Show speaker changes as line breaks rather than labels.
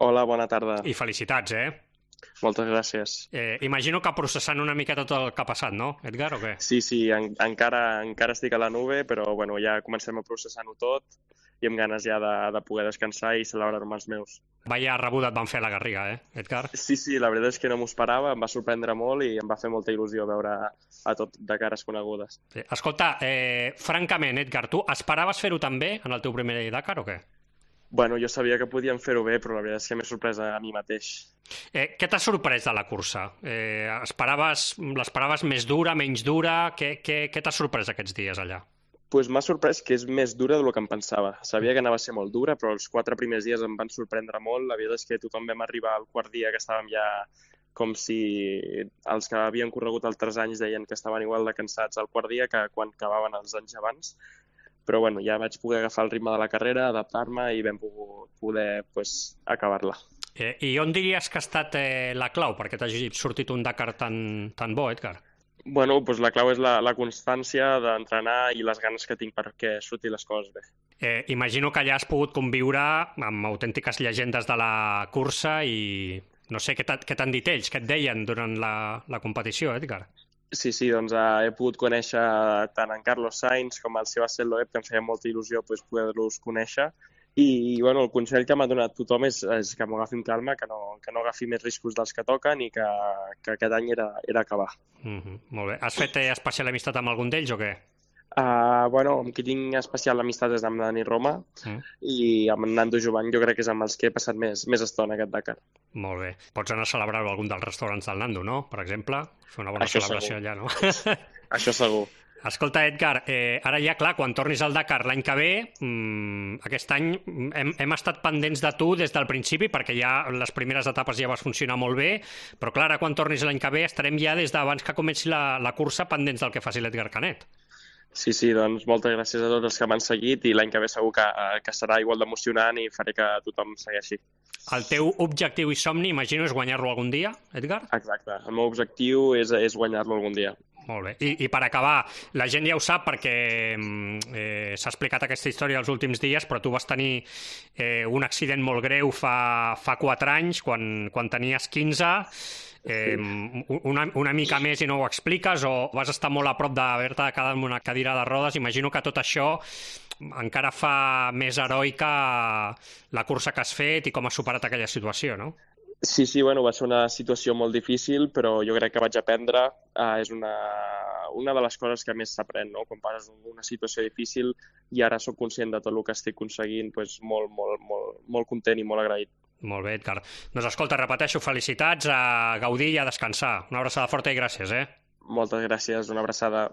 Hola, bona tarda.
I felicitats, eh?
Moltes gràcies.
Imagino que processant una miqueta tot el que ha passat, no, Edgar, o què?
Sí, encara estic a la nube, però bueno, ja comencem a processar-ho tot i amb ganes ja de poder descansar i celebrar-me els meus.
Vaya rebuda et van fer a la Garriga, Edgar?
Sí, la veritat és que no m'ho esperava, em va sorprendre molt i em va fer molta il·lusió veure a tot de cares conegudes.
Sí. Escolta, francament, Edgar, tu esperaves fer-ho també en el teu primer Dakar o què?
Bueno, jo sabia que podíem fer-ho bé, però la veritat és que m'he sorprès a mi mateix.
Què t'ha sorprès de la cursa? L'esperaves més dura, menys dura? Què t'ha sorprès aquests dies allà?
Pues m'ha sorprès que és més dura del que em pensava. Sabia que anava a ser molt dura, però els 4 primers dies em van sorprendre molt. La veritat és que tothom vam arribar al quart dia que estàvem ja com si els que havien corregut altres anys deien que estaven igual de cansats al quart dia que quan acabaven els anys abans. Però bueno, ja vaig poder agafar el ritme de la carrera, adaptar-me i vam poder acabar-la.
I on diries que ha estat la clau perquè t'hagi sortit un Dakar tan bo, Edgar?
Bueno, doncs la clau és la constància d'entrenar i les ganes que tinc perquè surtin les coses bé.
Imagino que allà has pogut conviure amb autèntiques llegendes de la cursa i no sé què t'han dit ells, què et deien durant la competició, Edgar?
Sí, doncs he pogut conèixer tant en Carlos Sainz com el Sebastián Loeb, que em feia molta il·lusió poder-los conèixer. I bueno, el consell que m'ha donat tothom és que m'ho agafi amb calma, que no agafi més riscos dels que toquen i que aquest any era acabar.
Molt bé. Has fet especial amistat amb algun d'ells o què?
Bueno, amb qui tinc especial amistat és amb Dani Roma i amb Nando Jovany jo crec que és amb els que he passat més estona aquest Dakar.
Molt bé. Pots anar a celebrar-ho a algun dels restaurants del Nando, no? Per exemple, fer una bona celebració allà, no?
Això segur.
Escolta, Edgar, ara ja, clar, quan tornis al Dakar l'any que ve, aquest any hem estat pendents de tu des del principi, perquè ja les primeres etapes ja vas funcionar molt bé, però clar, ara quan tornis l'any que ve estarem ja des d'abans que comenci la cursa pendents del que faci l'Edgar Canet.
Sí, doncs moltes gràcies a tots els que m'han seguit i l'any que ve segur que serà igual d'emocionant i faré que tothom segueixi.
El teu objectiu i somni, imagino, és guanyar-lo algun dia, Edgar?
Exacte. El meu objectiu és guanyar-lo algun dia.
Molt bé. I per acabar, la gent ja ho sap perquè s'ha explicat aquesta història els últims dies, però tu vas tenir un accident molt greu fa 4 anys, quan tenies 15, una mica més i no ho expliques, o vas estar molt a prop d'haver-te quedat en una cadira de rodes. Imagino que tot això encara fa més heroica la cursa que has fet i com has superat aquella situació, no?
Sí, bueno, va ser una situació molt difícil, però jo crec que vaig aprendre. És una de les coses que més s'aprèn, no? Quan passes una situació difícil i ara sóc conscient de tot el que estic aconseguint, doncs molt content i molt agraït.
Molt bé, Edgar. Doncs escolta, repeteixo, felicitats, a gaudir i a descansar. Una abraçada forta i gràcies,
Moltes gràcies, una abraçada.